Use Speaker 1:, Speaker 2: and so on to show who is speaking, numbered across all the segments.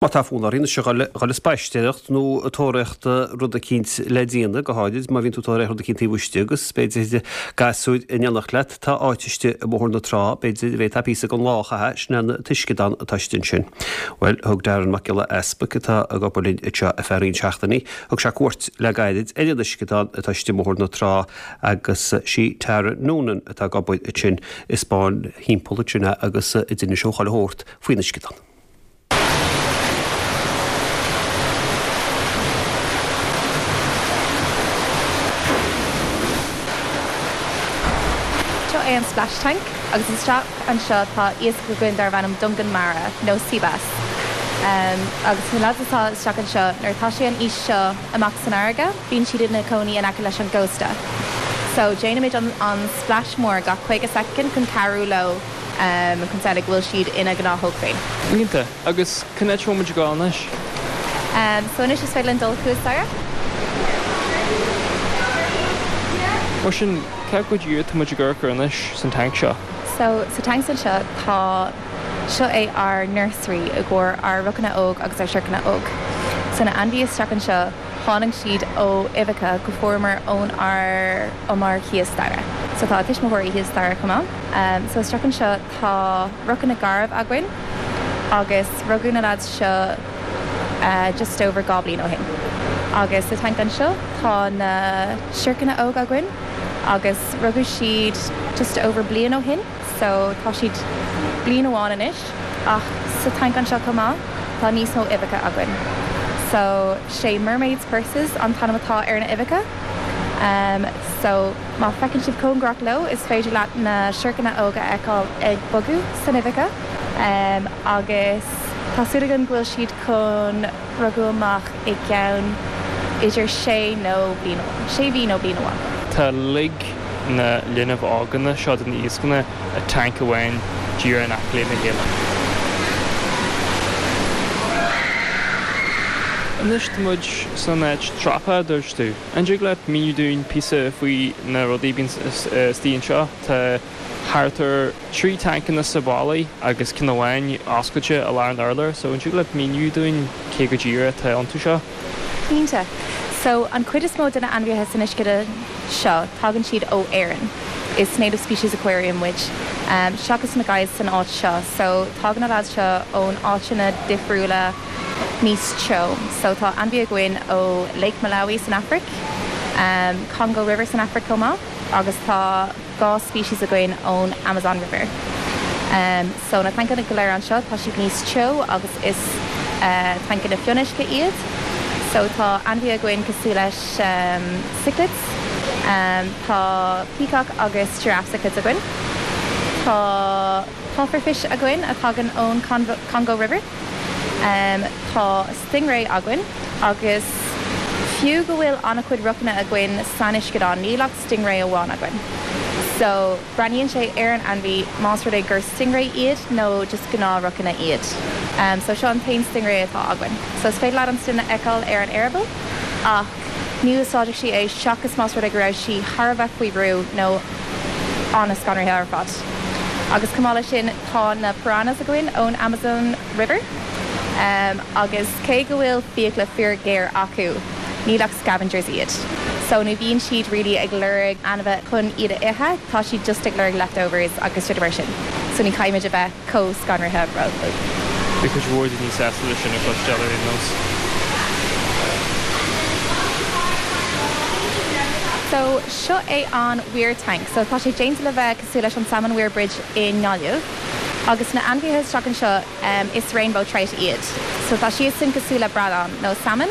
Speaker 1: Má tá fonn ort anois a dhul ag spaisteoireacht nó ag tóraíocht rud eicínt le déanamh, go háirid má bhíonn tú ag tóraíocht rud eicínt taobh istigh agus b'fhéidir gasúir in éineacht leat, tá áit istigh i mBóthar na Trá, b'fhéidir, a bhféadfá píosa den lá a chaitheamh, sin é an t-uisceadán atá istigh ansin. Bhuel, thug Darren Mac Giolla Easpaig, atá ag obair linn anseo ar feadh roinnt seachtainí, thug sé cuairt le gairid ar an uisceadán atá istigh i mBóthar na Trá agus sí Tara Noonan atá ag obair ansin a 'spáin thimpeall ansin é agus a d'inis dó chuile shórt faoin uisceadán.
Speaker 2: Seo é an splash tank agus isteach anseo tá iasc againn darb ainm dongan mara nó sea bass. Agus na lads atá isteach anseo nuair atá sé an aois seo amach san fharraige bíonn siad ina cónaí in aice leis an gcósta. So déanaimid an splash mór gach 50 soicind chun cabhrú leo chun samhlaigh go bhfuil siad ina ngnáthóg féin.
Speaker 3: Iontach. Agus cén áit a bhfuil muid ag dul anois?
Speaker 2: So anois is féidir linn dul thuas staighre.
Speaker 3: Mar sin, cé go díreach atá muid ag amharc air anois san tanc seo?
Speaker 2: So sa tanc anseo tá, seo é ár nursery i gcomhair ár rocanna óg agus ár siorcanna óg. So na ainmhithe isteach anseo, tháinig siad ó uibheacha go fuaireamar ón ár umar thíos staighre. So tá a tuismitheoirí thíos staighre chomh maith. So isteach anseo tá rocanna garbh againn agus rugadh na lads seo just over 2 bliain ó shin. Agus sa tanc anseo tá na siorcanna óg againn agus rugadh siad just over bliain ó shin so tá siad bliain amháin anois ach sa tanc anseo chomh maith tá níos mó uibheacha againn. So sé mermaid's purses an t-ainm atá ar na uibheacha. So. Má feiceann sibh cóngarach leo, is féidir leat na siorcanna óga a fheiceáil ag bogadh san uibheacha agus tá súil againn go bhfuil siad chun rugadh amach i gceann idir sé nó bliain amháin, sé mhí nó bliain amháin.
Speaker 3: Tá uilig na linbh óganna seo de na iascanna i tanc amháin díreach in aice lena chéile. Anois tá muid san áit treafa, a dúirt tú. An dtig leat míniú dúinn píosa faoi na rudaí a bhíonn istigh anseo? Tá thart ar 3 tancanna sa bhallaí agus ceann amháin oscailte i lár an urláir, so an dtig leat míniú dúinn cé go díreach atá iontu seo?
Speaker 2: Cinnte. So, an chuid is mó de na ainmhithe san uisceadán seo, tagann siad ó Éirinn. Is native species aquarium muid, seachas na guys san áit seo. So, tagann na lads seo ón áiteanna difriúla, níos teo. So tá ainmhí againn ó Lake Malawi san Afraic, Congo River san Afraic chomh maith agus tá 2 species againn ón Amazon River. So na tancanna go léir anseo tá siad níos teo agus is tancanna fionnuisce iad. So tá ainmhí againn cosúil leis cichlids, tá peacock agus giraffe cichlids againn. Tá pufferfish againn a thagann ón Congo River. Tá stingray againn agus fiú go bhfuil an-chuid rocanna againn san uisceadán, níl ach stingray amháin againn. So, breathnaíonn sé ar an ainmhí más rud é gur stingray iad nó just gnáth-rocanna iad. So, seo an t-aon stingray atá againn. So, is féidir leat an stinn a fheiceáil ar an eireaball ach ní úsáidfeadh sí é seachas más rud é go raibh sí thar a bheith faoi bhrú nó an-scanraithe ar fad. Agus chomh maith leis sin, tá na piranhas againn ón Amazon River agus cé go bhfuil fiacla fíor-ghéar acu, níl ach scavengers iad. So ní bhíonn siad really ag lorg ainmhithe chun iad a ithe, tá siad just ag lorg leftovers agus rudaí mar sin. So ní chaithfimid a bheith chomh scanraithe rompu.
Speaker 3: Beidh cuid mhór daoine sásta leis sin a chloisteáil ar aon nós.
Speaker 2: So seo é an weir tank. So tá sé déanta le bheith cosúil leis an Salmon Weir Bridge i nGaillimh. Agus na ainmhithe isteach anseo is rainbow trout iad. So tá siadsan cosúil le bradán nó salmon.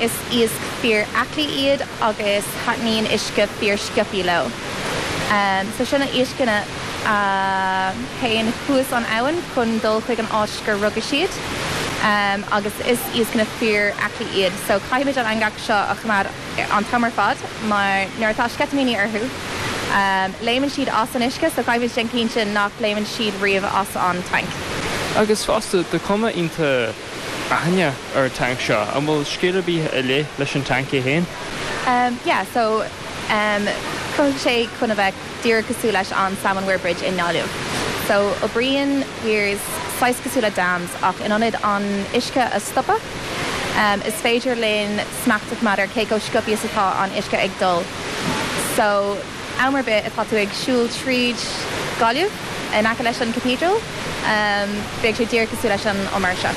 Speaker 2: Is iasc fíor aclaí iad agus taitníonn uisce fíor sciobthaí leo. So seo na iascanna a théann thuas an abhainn chun dul chuig an áit gur rugadh siad. Agus is iascanna fíor aclaí iad. So caithfimid an eangach seo a choimeád an t-am ar fad mar nuair atá sceitimíní orthu, léimeann siad as an uisce so caithfimid déanamh cinnte nach léimeann siad riamh as an tanc.
Speaker 3: Agus fosta, tá cuma iontach aithinneach ar an tanc seo. An bhfuil scéal ar bith ar leith leis an tanc é féin?
Speaker 2: Yeah, so chruthaigh sé chun a bheith díreach cosúil leis an Salmon Weir Bridge i nGaillimh. So oibríonn weirs saghas cosúil le dams ach in ionad an uisce a stopadh, is féidir linn smacht a choimeád ar cé chomh sciobtha is atá an uisce ag dul. So am ar bith atá tú ag siúl tríd Gaillimh in aice leis an Cathedral, beidh sé díreach cosúil leis an umar seo.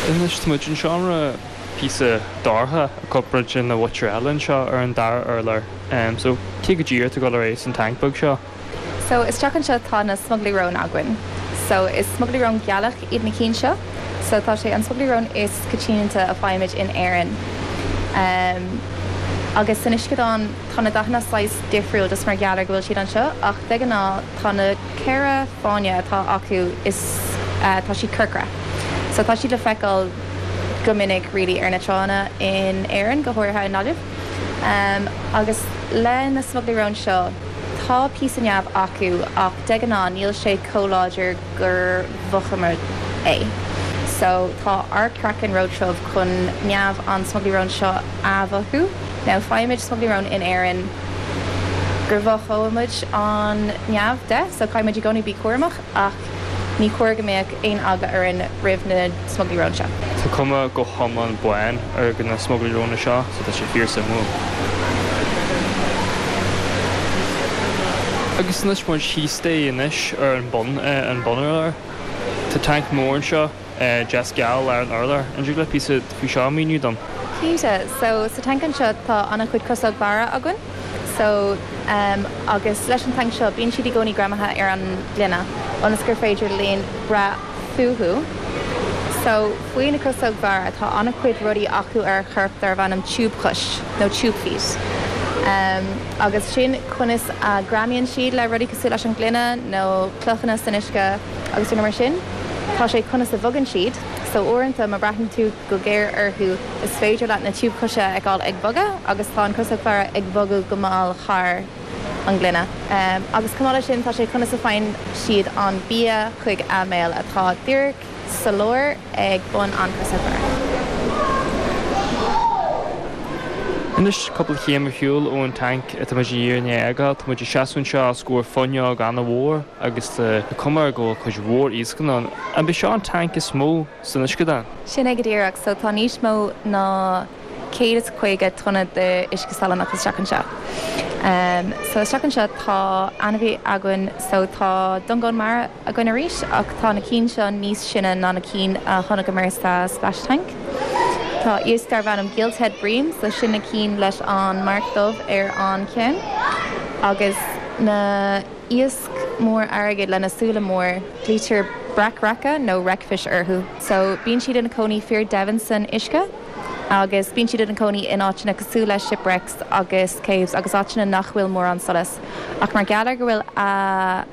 Speaker 3: Anois tá muid in seomra píosa dorcha i gcomparáid lena mhuintir eile anseo ar an dara urlár. So cé go díreach atá ag dul ar aghaidh san tanc beag seo?
Speaker 2: So isteach anseo tá na smugairlí róin againn. So is smugairlí rón gealach iad na cinn seo. So tá sé an smugairlí rón is coitianta a faighimid in Éirinn. Um agus san uisceadán tá na dathanna saghas difriúil just mar gheall ar go bhfuil siad anseo ach de ghnáth tá na ceithre fáinne atá acu is eh tá siad corcra. So tá siad le feiceáil go minic really ar na tránna in Éirinn, go háirithe i nGaillimh. Um agus le na smugairlí róin seo Tá píosa neamh acu ach de ghnáth níl sé chomh láidir gur mhothóimid é. So tá ár craiceann róthrom chun neamh an smugairlí róin seo a mhothú. Now faighimid smugairlí róin in Éirinn gur mhothóimid an neamh de so caithfimid i gcónaí bí cúramach ach Ní chóir go mbeadh aon eagla orainn roimh na smugairlí róin seo.
Speaker 3: Tá cuma go hiomlán bán ar na smugairlí róin seo so tá sé fíor suimiúil. Agus anois muid thíos staighre anois ar an bun, an bunurlár. Tá tanc mór anseo, deas geal i lár an urláir. An dtig leat píosa faoi seo a mhíniú dom?
Speaker 2: Cinnte. So sa tanc anseo tá an-chuid crosóg mhara againn. So agus leis an tanc seo bíonn siad i gcónaí greamaithe ar an ngloine ionas gur féidir linn breith fúthu. So faoi na crosóg mhara tá an-chuid rudaí acu ar a chorp darbh ainm tiúbchois nó tube feet. Agus sin conas a greamaíonn siad le rudaí cosúil leis an ngloine nó clochanna san uisce agus rudaí mar sin. Tá sé conas a bhogann siad. So uaireanta má breathnaíonn tú go géar orthu Is féidir leat na tiúbchoise a fheiceáil ag bogadh agus tá an crosóg mhara ag bogadh go mall thar an ngloine. Agus chomh maith leis sin tá sé conas a faigheann siad an bia chuig a mbéal atá díreach sa lár ag bun an chrosóg mhara.
Speaker 3: Anois, cúpla chéim ar shiúl ón tanc atá muid i ndiaidh a fhágáil, tá muid ag seasamh anseo os comhair fuinneog an-mhór agus tá cuma air go bhfuil cuid mhór iascanna ann. An b'é seo an tanc is mó san uisceadán.
Speaker 2: Sin é go díreach. So tá níos mó ná 150 tonna de uisce salannach isteach anseo. So isteach anseo tá ainmhí againn, so tá dongán mara againn arís ach tá na cinn seo níos sine ná na cinn a chonaiceamar sa splash tank. Tá iasc darb ainm gilthead bream, so sin na cinn leis an marc dubh ar an cheann agus na. Iasc mór airgid lena súile mór, glaoitear breac raice nó wreckfish orthu. So, bíonn siad ina cónaí fíor doimhin san uisce agus bíonn siad ina cónaí in áiteanna cosúil le shipwrecks agus caves agus áiteanna nach bhfuil mórán solas. Ach mar gheall ar go bhfuil a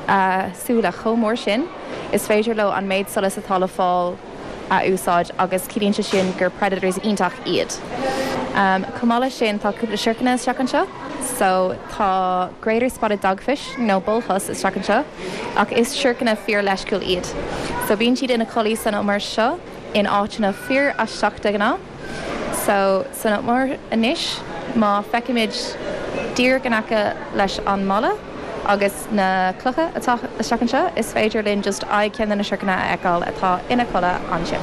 Speaker 2: a súile chomh mór sin, is féidir leo an méid solais atá le fáil a úsáid agus ciallaíonn sé sin gur predators iontach iad. Chomh maith leis sin tá cúpla siorcanna isteach anseo so tá greater spotted dogfish nó bullhuss isteach anseo ach is siorcanna fíor leisciúil iad so bíonn siad ina codladh san umar seo in áiteanna fíor aisteach de ghnáth. So san umar anois má feicimid díreach in aice leis an mballa, Agus na clocha atá isteach anseo, is féidir linn just aghaidh ceann de na siorcanna a fheiceáil atá ina chodladh ansin.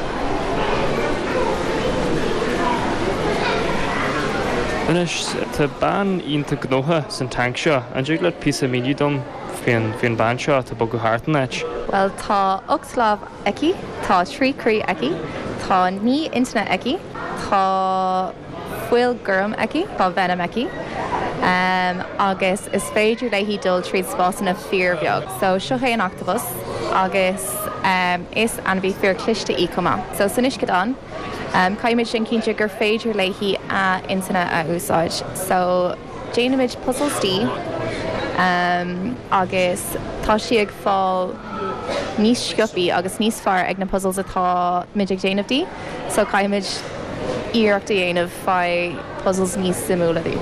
Speaker 3: Anois, tá bean iontach gnóthach san tanc seo. An dtig leat píosa a mhíniú dom faoin faoin bean seo atá ag bogadh thart an áit?
Speaker 2: Bhuel, tá 8 lámh aici, tá 3 croí aici, tá 9 intinne aici, tá. fuil gorm aici, tá venom aici agus is féidir léi dul tríd spásanna fíorbheag. So seo é an octopus agus is ainmhí fíor cliste í chomh maith. So san uisceadán caithfimid déanamh cinnte gur féidir léi a intinne a úsáid. So déanaimid puzzles di agus tá sí ag fáil níos sciopaí agus níos fearr ag na puzzles atá muid ag déanamh di. So caithfimid iarracht a dhéanamh faigh puzzles níos suimiúla di.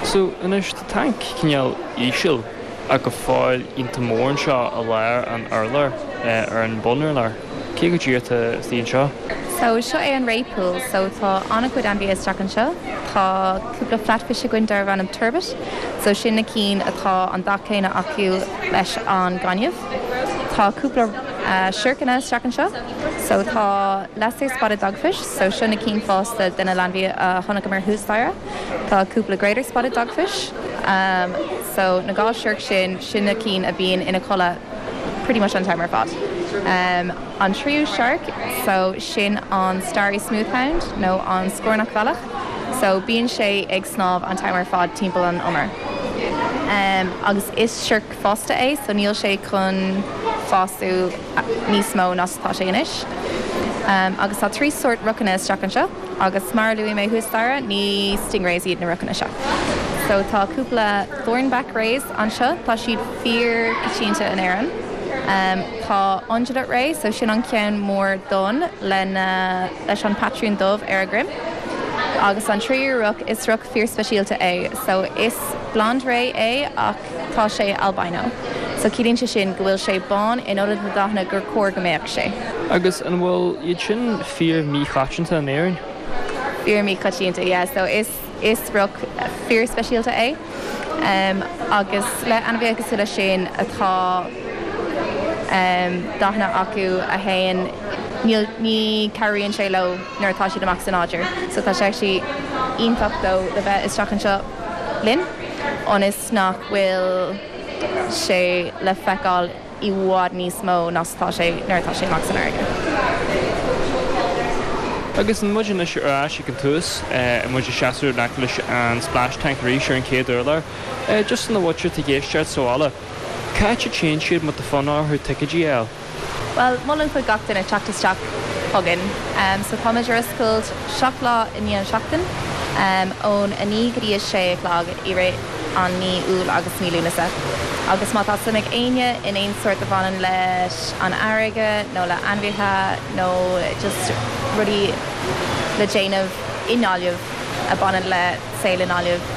Speaker 3: So anois tá tanc cineál íseal ach go fóill iontach mór anseo i lár an urláir, ar an bunurlár. Cé go díreach atá istigh anseo?
Speaker 2: So seo é an ray pool. So tá an-chuid ainmhithe isteach anseo. Tá cúpla flatfish againn darbh ainm turbot. So sin na cinn atá an dath céanna acu leis an gaineamh. Tá cúpla siorcanna isteach anseo. So tá lesser spotted dogfish. So seo na cinn fásta de na hainmhithe a chonaiceamar thuas staighre. Tá cúpla greater spotted dogfish. So na gá siorc sin, sin na cinn a bhíonn ina codladh pretty much an t-am ar fad. An tríú shark, so sin an starry smooth hound nó an scornach bhealach. So bíonn sé ag snámh an t-am ar fad timpeall an umair. Agus is siorc fásta é, so níl sé chun fású níos mó ná atá sé anois. Agus tá 3 sórt rocanna isteach anseo. Agus mar a luaigh mé thuas staighre, ní stingrays iad na rocanna seo. So tá cúpla thornback rays anseo, tá siad fíor coitianta in Éirinn. Tá undulate ray, so sin an ceann mór donn lena, leis an patrún dubh ar a dhroim. Agus an tríú roc, is roc fíor speisialta é. So is blonde ray é ach tá sé albino. So ciallaíonn sé sin go bhfuil sé bán in ionad na dathanna gur chóir go mbeadh sé.
Speaker 3: Agus an bhfuil iad sin fíor míchoitianta in Éirinn?
Speaker 2: Fíor míchoitianta, yeah. So is is roc fíor speisialta é. Um, agus le ainmhithe cosúil leis sin atá um, dathanna acu a théann níl ní cabhraíonn sé leo nuair atá siad amach sa nádúr. So tá sé actually iontach dó le bheith isteach anseo linn ionas nach bhfuil sé le feiceáil i bhfad níos mó ná atá sé nuair atá sé amach san fharraige.
Speaker 3: Agus muid anois ar ais ag an tús, muid ag seasamh in aice leis an splash tank arís ar an chéad urlár. Just don mhuintir atá ag éisteacht sa bhaile, cá háit a dtéann siad má tá fonn orthu ticéidí a fháil?
Speaker 2: Bhuel, molaim chuig gach duine teacht isteach chugainn. So táimid ar oscailt 7 lá i ndiaidh an seachtain, ón 9 go dtí a 6 a chlog i rith an mí Iúil agus mí Lúnasa. Agus má tá suim ag éinne in aon sórt a bhaineann leis an fharraige nó le ainmhithe nó just rudaí le déanamh i nGaillimh a bhaineann le saol i nGaillimh.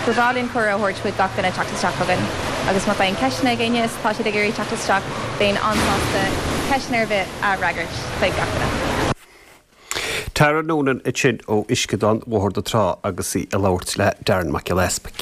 Speaker 2: Ba bhreá linn cuireadh a thabhairt chuig gach duine teacht isteach chugainn agus má tá aon ceisteanna ag éinne is tá siad ag iarraidh teacht isteach, bheinn an-sásta ceisteanna ar bith a fhreagairt chuig gach duine.
Speaker 1: Tara Noonan ansin ó Uisceadán Bhóthar na Trá agus í ag labhairt le Darren Mac Giolla Easpaig.